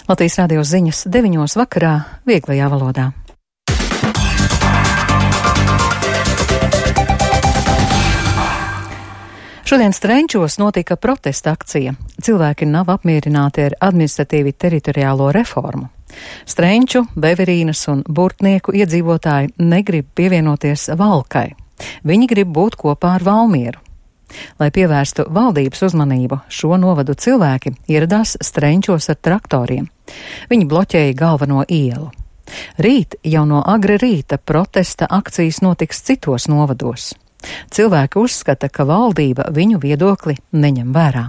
Latvijas radio ziņas 9:00 vakarā vieglajā valodā. Šodien Strenčos notika protesta akcija. Cilvēki nav apmierināti ar administratīvi teritoriālo reformu. Strenču, Beverīnas un Burtnieku iedzīvotāji negrib pievienoties Valkai. Viņi grib būt kopā ar Valmieru. Lai pievērstu valdības uzmanību, šo novadu cilvēki ieradās Strenčos ar traktoriem. Viņi bloķēja galveno ielu. Rīt jau no agri rīta protesta akcijas notiks citos novados. Cilvēki uzskata, ka valdība viņu viedokli neņem vērā.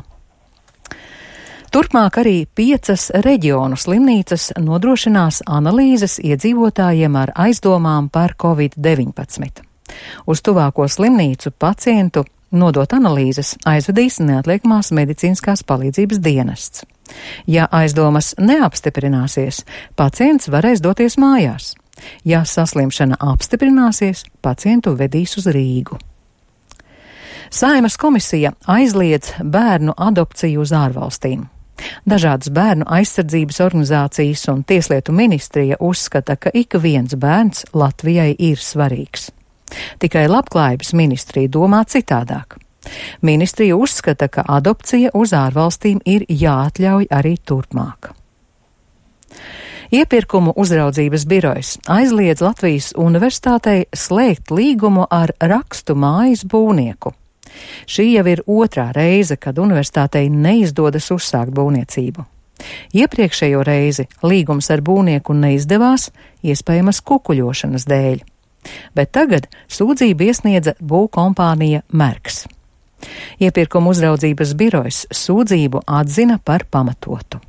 Turpmāk arī 5 reģionu slimnīcas nodrošinās analīzes iedzīvotājiem ar aizdomām par Covid-19. Uz tuvāko slimnīcu pacientu nodot analīzes aizvedīs neatliekamās medicīniskās palīdzības dienests. Ja aizdomas neapstiprināsies, pacients varēs doties mājās. Ja saslimšana apstiprināsies, pacientu vedīs uz Rīgu. Saeimas komisija aizliedz bērnu adopciju uz ārvalstīm. Dažādas bērnu aizsardzības organizācijas un Tieslietu ministrija uzskata, ka ik viens bērns Latvijai ir svarīgs. Tikai Labklājības ministrija domā citādāk. Ministrija uzskata, ka adopcija uz ārvalstīm ir jāatļauj arī turpmāk. Iepirkumu uzraudzības birojas aizliedz Latvijas universitātei slēgt līgumu ar rakstu mājas būvnieku. Šī jau ir 2. reize, kad universitātei neizdodas uzsākt būvniecību. Iepriekšējo reizi līgums ar būvnieku neizdevās, iespējamas kukuļošanas dēļ. Bet tagad sūdzību iesniedza būvkompānija Merks. Iepirkumu uzraudzības birojas sūdzību atzina par pamatotu.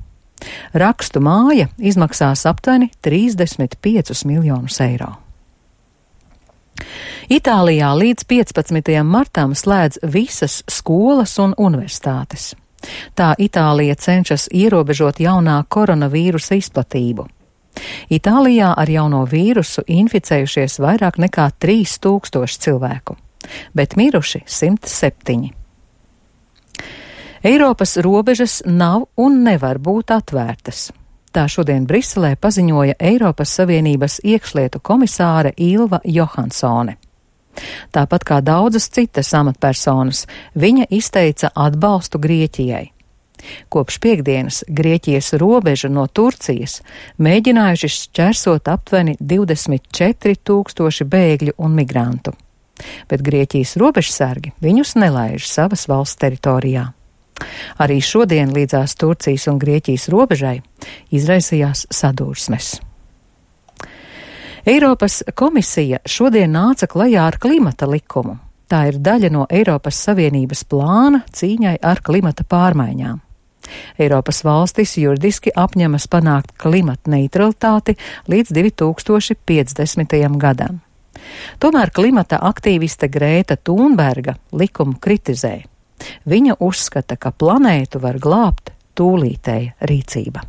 Rakstu māja izmaksās aptuveni 35 miljonus eiro. Itālijā līdz 15. martam slēdz visas skolas un universitātes. Tā Itālija cenšas ierobežot jaunā koronavīrusa izplatību. Itālijā ar jauno vīrusu inficējušies vairāk nekā 3000 cilvēku, bet miruši 107. Eiropas robežas nav un nevar būt atvērtas. Tā šodien Briselē paziņoja Eiropas Savienības iekšlietu komisāre Ilva Johansone. Tāpat kā daudzas citas amatpersonas, viņa izteica atbalstu Grieķijai. Kopš piektdienas Grieķijas robežu no Turcijas mēģinājuši šķērsot aptuveni 24 000 bēgļu un migrantu. Bet Grieķijas robežsargi viņus nelaiž savas valsts teritorijā. Arī šodien līdzās Turcijas un Grieķijas robežai izraisījās sadursmes. Eiropas komisija šodien nāca klajā ar klimata likumu. Tā ir daļa no Eiropas Savienības plāna cīņai ar klimata pārmaiņām. Eiropas valstis juridiski apņemas panākt klimata neutralitāti līdz 2050. gadam. Tomēr klimata aktīviste Grēta Thunberga likumu kritizē. Viņa uzskata, ka planētu var glābt tūlītēja rīcība.